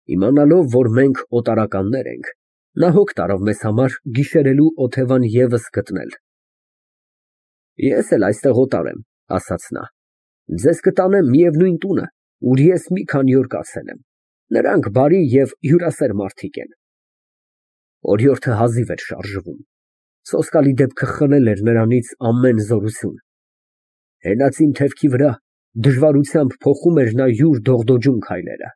Իմանալով, որ մենք օտարականներ ենք, նա հոգ տարավ մեզ համար գիշերելու օթևան ևս գտնել։ Ես էլ այստեղ օտար եմ, ասաց նա, ձեզ կտանեմ միևնույն տունը, ուր ես մի քանի օր կացել եմ, նրանք բարի և հյուրասեր մարդիկ են։ Օրիորդը հազիվ էր շարժվում, սոսկալի դեպքը խլել էր նրանից ամեն զորություն։ Հենացին թևքի վրա դժվարությամբ փոխում էր նա յուր դողդոջուն քայլերը։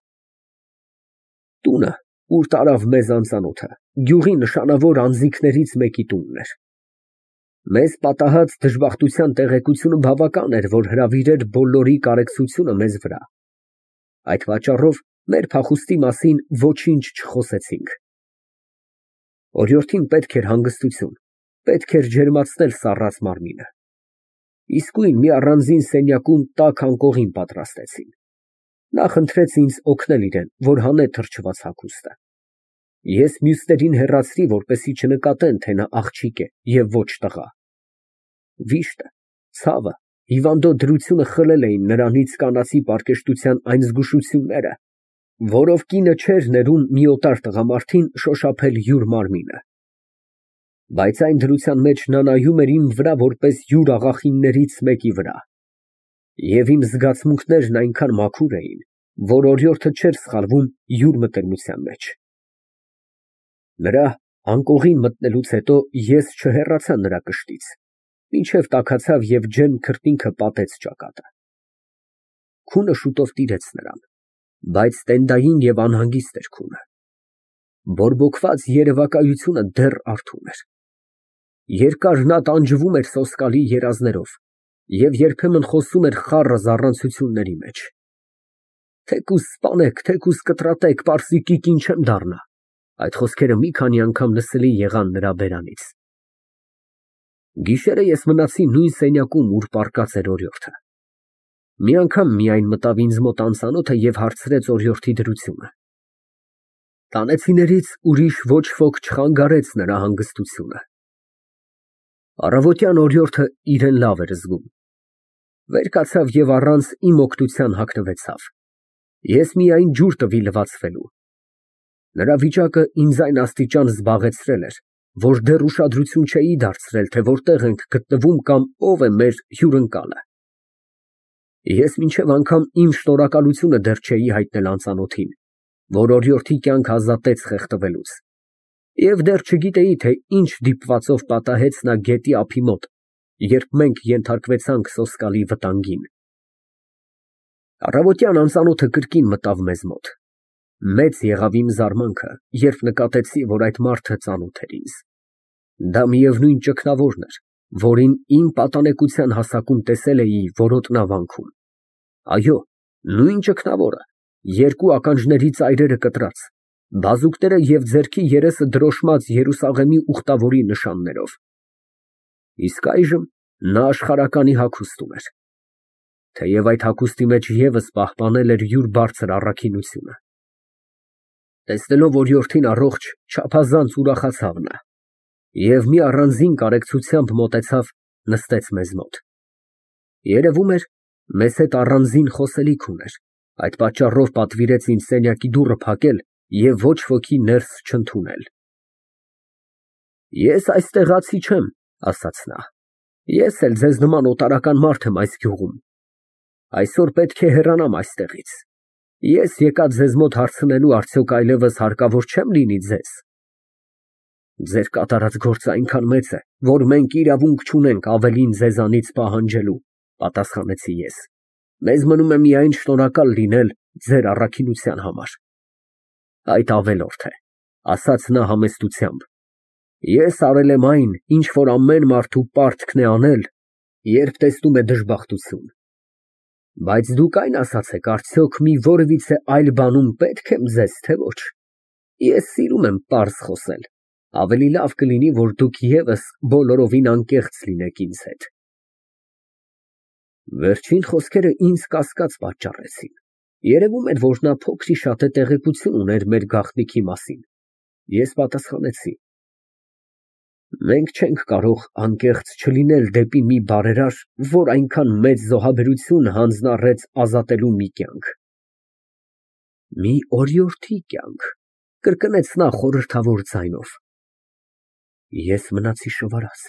Տունը, ուր տարավ մեզ անծանոթը, գյուղի նշանավոր անձինքներից մեկի տունն էր։ Մեզ պատահած դժբախտության տեղեկությունը բավական էր, որ հրավիրեր բոլորի կարեկցությունը մեզ վրա։ Այդ պատճառով մեր փախուստի մասին ոչինչ չխոսեցինք։ Օրիորդին պետք էր հանգստություն, պետք էր ջերմացնել սառած մարմինը։ Իսկույն մի առանձին սենյակում տաք անկողին պատրաստեցին։ Նա խնդրեց ինձ օգնել իրեն, որ հանե թրջված հագուստը։ Ես մյուսներին հեռացրի, որպեսզի չնկատեն, թե նա աղջիկ է և ոչ տղա։ Վիշտը, ցավը, հիվանդոտ դրությունը խլել էին նրանից կանացի պարկեշտության այն զգուշությունները, որով կինը չէր ներում մի օտար տղամարդին շոշափել յուր մարմինը։ Բայց այն դրության մեջ նա նայում էր իմ վրա որպես յուր աղախիններից մեկի վրա։ Եվ իմ զգացմունքներն այնքան մաքուր էին, որ օրիորդը չէր սխալվում յուր մտերմության մեջ։ Նրա անկողին մտնելուց հետո ես չհեռացա նրա կշտից, մինչև տաքացավ և ջերմ քրտինքը պատեց ճակատը։ Քունը շուտով տիրեց նրան, բայց տենդային և անհանգիստ էր քունը։ Բորբոքված երևակայությունը դեռ արթուն էր։ Երկար նա տանջվում էր սոսկալի երազներով և երբեմն խոսում էր խառը զառանցությունների մեջ։ Թեկուզ սպանեք, թեկուզ կտրատեք, պարզի կին չեմ դառնա։ Այդ խոսքերը մի քանի անգամ լսելի եղան նրա բերանից։ Գիշերը ես մնացի նույն սենյակում, ուր պառկած էր օրիորդը։ Մի անգամ միայն մտավ ինձ մոտ անծանոթը և հարցրեց օրիորդի դրությունը։ Տանեցիներից ուրիշ ոչ ոք չխանգարեց նրա հանգստությունը։ Առավոտյան օրիորդը իրեն լավ էր զգում։ Վեր կացավ և առանց իմ օգնության հագնվեցավ։ Ես միայն ջուր տվի լվացվելու։ Նրա վիճակը ինձ այն աստիճան զբաղեցրել էր, որ դեռ ուշադրություն չէի դարձրել, թե որտեղ ենք գտնվում կամ ով է մեր հյուրընկալը։ Ես մինչև անգամ իմ շնորհակալությունը դեռ չէի հայտնել անծանոթին, որ օրիորդի կյանք ազատեց խեղդվելուց, և դեռ չգիտեի, թե ինչ դիպվածով պատահեց նա գետի ափի մոտ, երբ մենք ենթարկվեցանք սոսկալի վտանգին։ Առավոտյան անծանոթը կրկին մտավ մեզ մոտ։ Մեծ եղավ իմ զարմանքը, երբ նկատեցի, որ այդ մարդը ծանոթ էր ինձ։ Դա միևնույն ճգնավորն էր, որին իմ պատանեկության հասակում տեսել էի որոտնավանքում։ Այո, նույն ճգնավորը, երկու ականջների ծայրերը կտրած, բազուկները և ձեռքի երեսը դրոշմած Երուսաղեմի ուխտավորի նշաններով։ Իսկ այժմ նա աշխարհականի հագուստ ուներ, թեև այդ հագուստի մեջ ևս պահպանել էր յուր բարձր առաքինությունը։ Տեսնելով օրիորդին առողջ, չափազանց ուրախացավ նա և մի առանձին կարեկցությամբ մոտեցավ, նստեց մեզ մոտ։ Երևում էր, մեզ հետ առանձին խոսելիք ուներ, այդ պատճառով պատվիրեց ինձ սենյակի դուռը փակել և ոչ ոքի ներս չընդունել։ Ես այստեղացի չեմ, ասաց նա, ես էլ ձեզ նման օտարական մարդ եմ այս գյուղում։ Այսօր պետք է հեռանամ այստեղից։ Ես եկա ձեզ մոտ հարցնելու, արդյոք այլևս հարկավոր չեմ լինի ձեզ։ Ձեր կատարած գործը այնքան մեծ է, որ մենք իրավունք չունենք ավելին ձեզանից պահանջելու, պատասխանեցի ես։ Մեզ մնում է միայն շնորհակալ լինել ձեր առաքինության համար։ Այդ ավելորդ է, ասաց նա համեստությամբ։ Ես արել եմ այն, ինչ որ ամեն մարդու պարտքն է անել, երբ տեսնում է դժբախտություն։ Բայց դուք այն ասացեք, արդյոք մի որևիցե այլ բանում պետք եմ ձեզ, թե ոչ։ Ես սիրում եմ պարզ խոսել, ավելի լավ կլինի, որ դուք ևս բոլորովին անկեղծ լինեք ինձ հետ։ Վերջին խոսքերը ինձ կասկած պատճառեցին։ Երևում էր, որ նա փոքր-ի-շատե տեղեկություն ուներ մեր գաղտնիքի մասին։ Ես պատասխանեցի. Մենք չենք կարող անկեղծ չլինել դեպի մի բարերար, որ այնքան մեծ զոհաբերություն հանձնառեց ազատելու մի կյանք։ Մի օրիորդի կյանք, կրկնեց նա խորհրդավոր ձայնով։ Ես մնացի շվարած։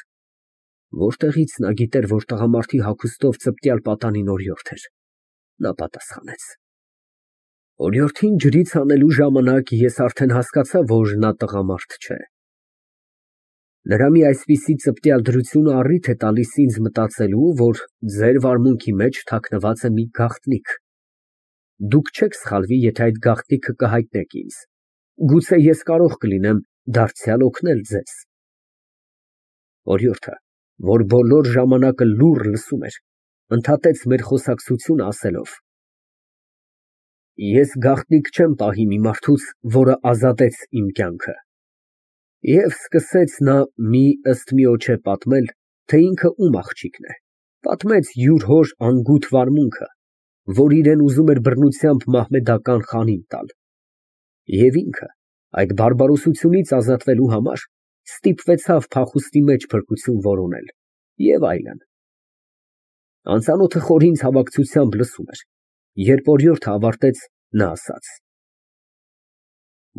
Որտեղից նա գիտեր, որ տղամարդի հագուստով ծպտյալ պատանին օրիորդ էր։ Նա պատասխանեց. Օրիորդին ջրից հանելու ժամանակ ես արդեն հասկացա, որ նա տղամարդ չէ։ Նրա մի այսպիսի ծպտյալ դրությունը առիթ է տալիս ինձ մտածելու, որ ձեր վարմունքի մեջ թաքնված է մի գաղտնիք։ Դուք չեք սխալվի, եթե այդ գաղտնիքը կհայտնեք ինձ։ Գուցե ես կարող կլինեմ դարձյալ օգնել ձեզ։ Օրիորդը, որ բոլոր ժամանակը լուռ լսում էր, ընդհատեց մեր խոսակցությունը ասելով. Ես գաղտնիք չեմ պահի մի մարդուց, որը ազատեց իմ կյանքը։ Եվ սկսեց նա ըստ միոջե պատմել, թե ինքը ում աղջիկն է, պատմեց յուր հոր անգութ վարմունքը, որ իրեն ուզում էր բռնությամբ մահմեդական խանին տալ, և ինքը այդ բարբարոսությունից ազատվելու համար ստիպվեցավ փախուստի մեջ փրկություն որոնել և այլն։ Անծանոթը խորին ցավակցությամբ լսում էր, երբ օրիորդը ավարտեց, նա ասաց.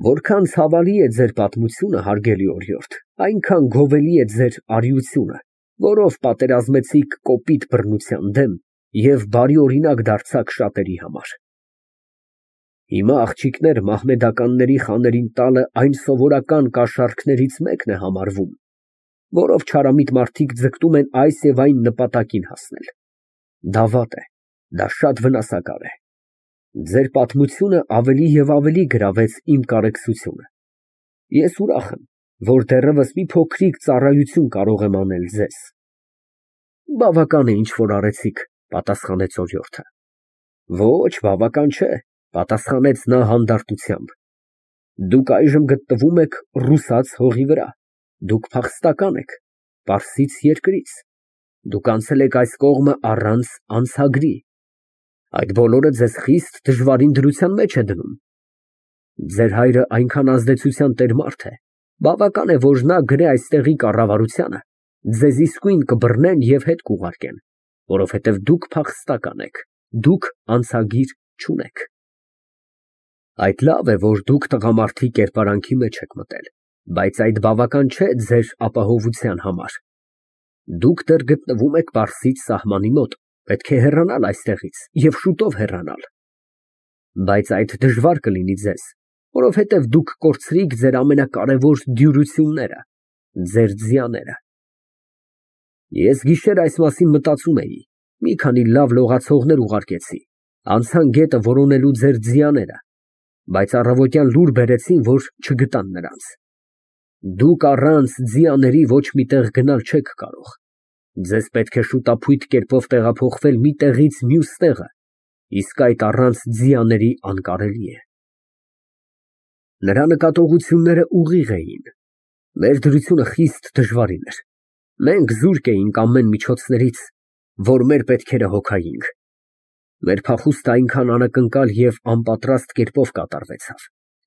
Որքան ցավալի է ձեր պատմությունը, հարգելի օրիորդ, այնքան գովելի է ձեր արիությունը, որով պատերազմեցիք կոպիտ բռնության դեմ և բարի օրինակ դարձաք շատերի համար։ Հիմա աղջիկներ մահմեդականների խաներին տալը այն սովորական կաշառքներից մեկն է համարվում, որով չարամիտ մարդիկ ձգտում են այս և այն նպատակին հասնել։ Դա վատ է, դա շատ վնասակար է։ Ձեր պատմությունը ավելի և ավելի գրավեց իմ կարեկցությունը։ Ես ուրախ եմ, որ դեռևս մի փոքրիկ ծառայություն կարող եմ անել ձեզ։ Բավական է, ինչ որ արեցիք, պատասխանեց օրիորդը։ Ոչ, բավական չէ, պատասխանեց նա հանդարտությամբ։ Դուք այժմ գտնվում եք ռուսաց հողի վրա, դուք փախստական եք, Պարսից երկրից, դուք անցել եք այս կողմը առանց անցագրի։ Այդ բոլորը ձեզ խիստ դժվարին դրության մեջ է դնում։ Ձեր հայրը այնքան ազդեցության տեր մարդ է, բավական է, որ նա գրե այստեղի կառավարությանը, ձեզ իսկույն կբռնեն և հետ կուղարկեն, որովհետև դուք փախստական եք, դուք անցագիր չունեք։ Այդ լավ է, որ դուք տղամարդի կերպարանքի մեջ եք մտել, բայց այդ բավական չէ ձեր ապահովության համար։ Դուք դեռ գտնվում եք Պարսից սահմանի մոտ, պետք է հեռանալ այստեղից և շուտով հեռանալ։ Բայց այդ դժվար կլինի ձեզ, որովհետև դուք կորցրիք ձեր ամենակարևոր դյուրությունները, ձեր ձյաները։ Ես գիշեր այս մասին մտածում էի, մի քանի լավ լողացողներ ուղարկեցի, անցան գետը որոնելու ձեր ձյաները, բայց առավոտյան լուր բերեցին, որ չգտան նրանց։ Դուք առանց ձիաների ոչ մի տեղ գնալ չեք կարող։ Ձեզ պետք է շուտափույթ կերպով տեղափոխվել մի տեղից մյուս տեղը, իսկ այդ առանց ձիաների անկարելի է։ Նրա նկատողությունները ուղիղ էին։ Մեր դրությունը խիստ դժվարին էր։ Մենք զուրկ էինք ամեն միջոցներից, որ մեր պետքերը հոգայինք։ Մեր փախուստը այնքան անակնկալ և անպատրաստ կերպով կատարվեցավ,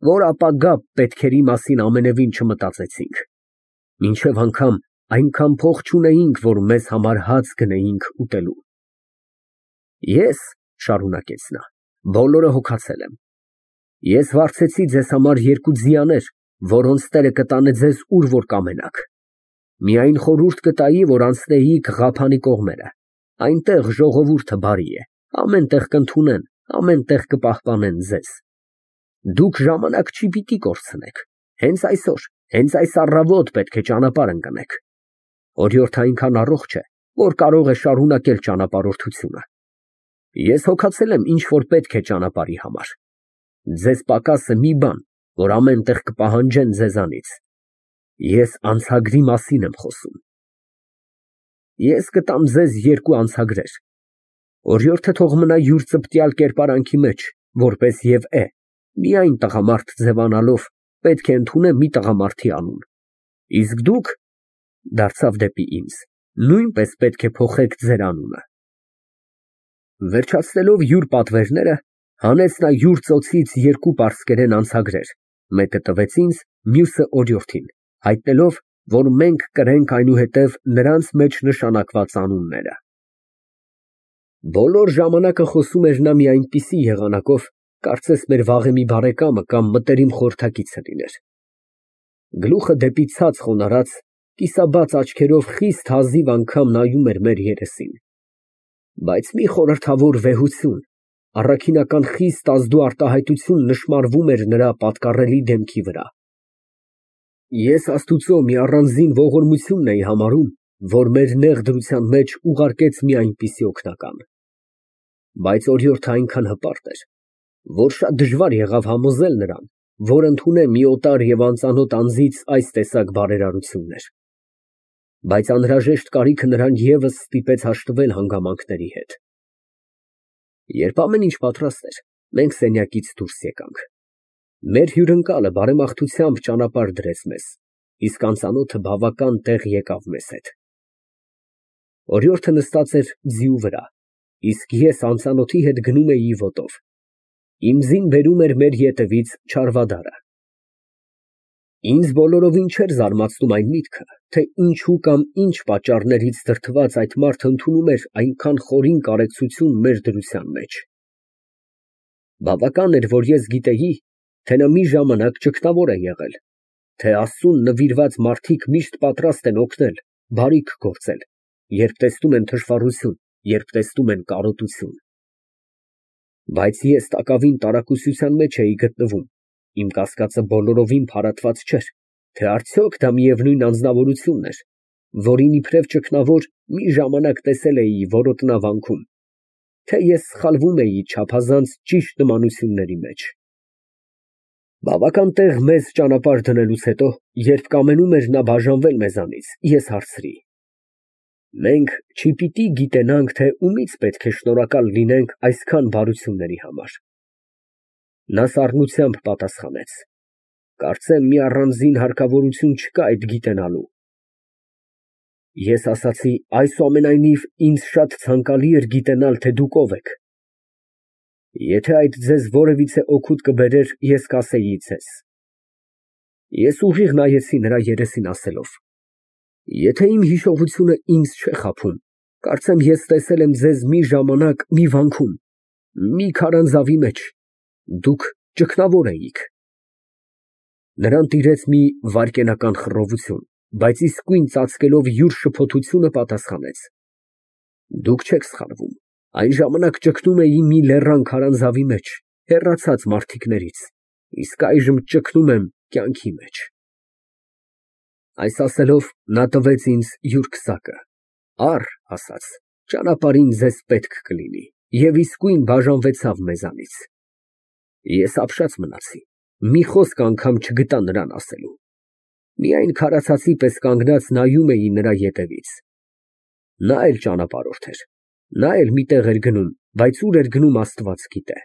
որ ապագա պետքերի մասին ամենևին չմտածեցինք։ Մինչև անգամ այնքան փող չունեինք, որ մեզ համար հաց գնեինք ուտելու։ Ես, շարունակեց նա, բոլորը հոգացել եմ։ Ես վարձեցի ձեզ համար 2 ձիաներ, որոնց տերը կտանե ձեզ ուր որ կամենաք։ Միայն խորհուրդ կտայի, որ անցնեիք Ղափանի կողմերը, այնտեղ ժողովուրդը բարի է, ամեն տեղ կընդունեն, ամեն տեղ կպահպանեն ձեզ։ Դուք ժամանակ չի պիտի կորցնեք, հենց այսօր, հենց այս առավոտ պետք է ճանապարհ ընկնեք։ Օրիորդը այնքան առողջ է, որ կարող է շարունակել ճանապարհորդությունը։ Ես հոգացել եմ ինչ որ պետք է ճանապարհի համար։ Ձեզ պակաս է մի բան, որ ամեն տեղ կպահանջեն ձեզանից։ Ես անցագրի մասին եմ խոսում։ Ես կտամ ձեզ 2 անցագրեր։ Օրիորդը թող մնա յուր ծպտյալ կերպարանքի մեջ, որպես և է, միայն տղամարդ ձևանալով պետք է ընդունե մի տղամարդի անուն։ Իսկ դուք, դարձավ դեպի ինձ, նույնպես պետք է փոխեք ձեր անունը։ Վերջացնելով յուր պատվերները, հանեց նա յուր ծոցից 2 պարսկերեն անցագրեր, մեկը տվեց ինձ, մյուսը օրիորդին, հայտնելով, որ մենք կրենք այնուհետև նրանց մեջ նշանակված անունները։ Բոլոր ժամանակը խոսում էր նա մի այնպիսի եղանակով, Կարծես մեր վաղեմի բարեկամը կամ մտերիմ խորհրդակիցը լիներ։ Գլուխը դեպի ցած խոնարհած, կիսաբաց աչքերով խիստ հազիվ անգամ նայում էր մեր երեսին։ Բայց մի խորհրդավոր վեհություն, առաքինական խիստ ազդու արտահայտություն նշմարվում էր նրա պատկառելի դեմքի վրա։ Ես Աստուծո մի առանձին ողորմությունն էի համարում, որ մեր նեղ դրության մեջ ուղարկեց մի այնպիսի օգնական։ Բայց օրիորդը այնքան հպարտ էր, որ շատ դժվար եղավ համոզել նրան, որ ընդունե մի օտար և անծանոթ անձից այս տեսակ բարերարություններ։ Բայց անհրաժեշտ կարիքը նրան ևս ստիպեց հաշտվել հանգամանքների հետ։ Երբ ամեն ինչ պատրաստ էր, մենք սենյակից դուրս եկանք։ Մեր հյուրընկալը բարեմաղթությամբ ճանապարհ դրեց մեզ, իսկ անծանոթը բավական տեղ եկավ մեզ հետ։ Օրիորդը նստած էր ձիու վրա, իսկ ես անծանոթի հետ գնում էի ոտով։ Իմ ձին բերում էր մեր ետևից չարվադարը։ Ինձ բոլորովին չէր զարմացնում այն միտքը, թե ինչու կամ ինչ պատճառներից դրդված այդ մարդը ընդունում էր այնքան խորին կարեկցություն մեր դրության մեջ։ Բավական էր, որ ես գիտեի, թե նա մի ժամանակ ճգնավոր է եղել, թե Աստծուն նվիրված մարդիկ միշտ պատրաստ են օգնել, բարիք գործել, երբ տեսնում են թշվառություն, երբ տեսնում են կարոտություն։ Բայց ես տակավին տարակուսության մեջ էի գտնվում, իմ կասկածը բոլորովին փարատված չէր, թե արդյոք դա միևնույն անձնավորությունն էր, որին իբրև ճգնավոր մի ժամանակ տեսել էի որոտնավանքում, թե ես սխալվում էի չափազանց ճիշտ նմանությունների մեջ։ Բավական տեղ մեզ ճանապարհ դնելուց հետո, երբ կամենում էր նա բաժանվել մեզանից, ես հարցրի. մենք չպիտի գիտենանք, թե ումից պետք է շնորհակալ լինենք այսքան բարությունների համար։ Նա սառնությամբ պատասխանեց. կարծեմ մի առանձին հարկավորություն չկա այդ գիտենալու։ Ես ասացի, այսուամենայնիվ, ինձ շատ ցանկալի էր գիտենալ, թե դուք ով եք։ Եթե այդ ձեզ որևիցե օգուտ կբերեր, ես կասեի ձեզ։ Ես ուղիղ նայեցի նրա երեսին ասելով. եթե իմ հիշողությունը ինձ չէ խաբում, կարծեմ ես տեսել եմ ձեզ մի ժամանակ մի վանքում, մի քարանձավի մեջ, դուք ճգնավոր էիք։ Նրան տիրեց մի վայրկենական խռովություն, բայց իսկույն ծածկելով յուր շփոթությունը պատասխանեց. դուք չեք սխալվում, այն ժամանակ ճգնում էի մի լեռան քարանձավի մեջ, հեռացած մարդիկներից, իսկ այժմ ճգնում եմ կյանքի մեջ։ Այս ասելով, նա տվեց ինձ յուր քսակը, առ, ասաց, ճանապարհին ձեզ պետք կլինի, և իսկույն բաժանվեցավ մեզանից։ Ես ապշած մնացի, մի խոսք անգամ չգտա նրան ասելու, միայն քարացածի պես կանգնած նայում էի նրա ետևից։ Նա էլ ճանապարհորդ էր, նա էլ մի տեղ էր գնում, բայց ուր էր գնում Աստված գիտե։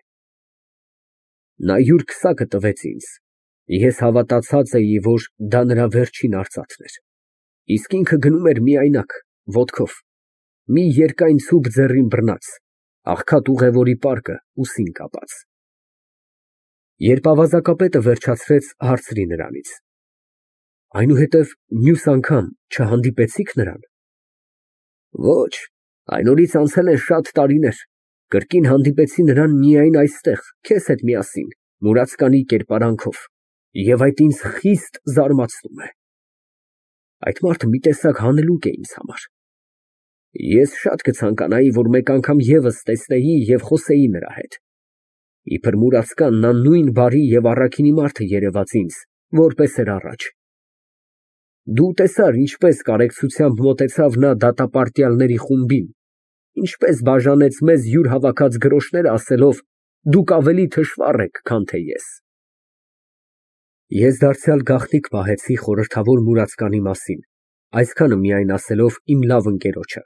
Նա յուր քսակը տվեց ինձ, ես հավատացած էի, որ դա նրա վերջին արծաթն էր, իսկ ինքը գնում էր միայնակ, ոտքով, մի երկայն ցուպ ձեռին բռնած, աղքատ ուղևորի պարկը ուսին կապած։ Երբ ավազակապետը վերջացրեց, հարցրի նրանից. այնուհետև մյուս անգամ չհանդիպեցի՞ք նրան։ Ոչ, այն օրից անցել են շատ տարիներ, կրկին հանդիպեցի նրան միայն այստեղ, քեզ հետ միասին, մուրացկանի կերպարանքով, և այդ ինձ խիստ զարմացնում է։ Այդ մարդը մի տեսակ հանելուկ է ինձ համար։ Ես շատ կցանկանայի, որ մեկ անգամ ևս տեսնեի և խոսեի նրա հետ։ Իբր մուրացկան նա նույն բարի և առաքինի մարդը երևաց ինձ, որպես էր առաջ։ Դու տեսար, ինչպես կարեկցությամբ մոտեցավ նա դատապարտյալների խումբին, ինչպես բաժանեց մեզ յուր հավաքած գրոշները, ասելով. դուք ավելի թշվառ եք, քան թե ես։ Ես դարձյալ գաղտնիք պահեցի խորհրդավոր մուրացկանի մասին, այսքանը միայն ասելով իմ լավ ընկերոջը.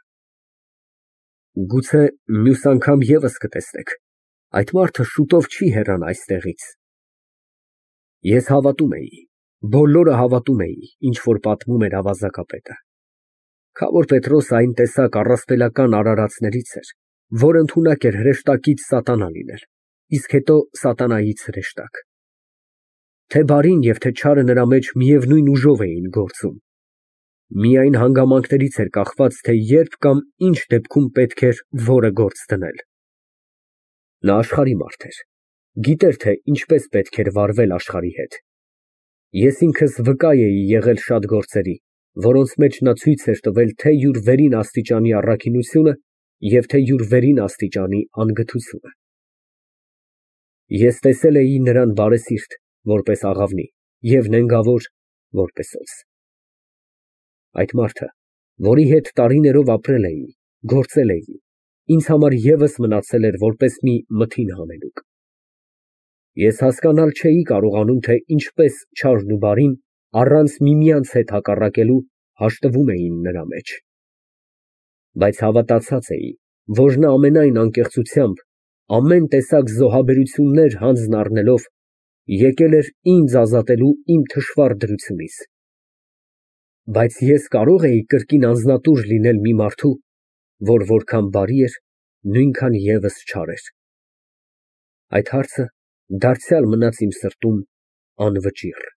գուցե մյուս անգամ ևս կտեսնեք, այդ մարդը շուտով չի հեռանա այստեղից։ Ես հավատում էի, բոլորը հավատում էի, ինչ որ պատմում էր ավազակապետը։ Քավոր Պետրոսը այն տեսակ առասպելական արարածներից էր, որ ընդունակ էր հրեշտակից սատանա լինել, իսկ հետո սատանայից հրեշտակ։ Թե բարին և թե չարը նրա մեջ միևնույն ուժով էին գործում։ Միայն հանգամանքներից էր կախված, թե երբ կամ ինչ դեպքում պետք էր որը գործ դնել։ Նա աշխարհի մարդ էր, Գիտեր, թե ինչպես պետք էր վարվել աշխարհի հետ։ Ես ինքս վկա էի եղել շատ գործերի, որոնց մեջ նա ցույց էր տվել թե յուր վերին աստիճանի առաքինությունը և թե յուր վերին աստիճանի անգթությունը։ Ես տեսել էի նրան բարեսիրտ, որպես աղավնի, և նենգավոր, որպես օձ։ Այդ մարդը, որի հետ տարիներով ապրել էի, գործել էի, ինձ համար ևս մնացել էր որպես մի մթին հանելուկ։ Ես հասկանալ չէի կարողանում, թե ինչպես չարն ու բարին, առանց միմյանց հետ հակառակելու, հաշտվում էին նրա մեջ։ Բայց հավատացած էի, որ նա ամենայն անկեղծությամբ, ամեն տեսակ զոհաբերություններ հանձն առնելով, եկել էր ինձ ազատելու իմ թշվառ դրությունից։ Բայց ես կարո՞ղ էի կրկին անձնատուր լինել մի մարդու, որ որքան բարի էր, նույնքան ևս չար էր։ Այդ հարցը դարձյալ մնաց իմ սրտում անվճիռ։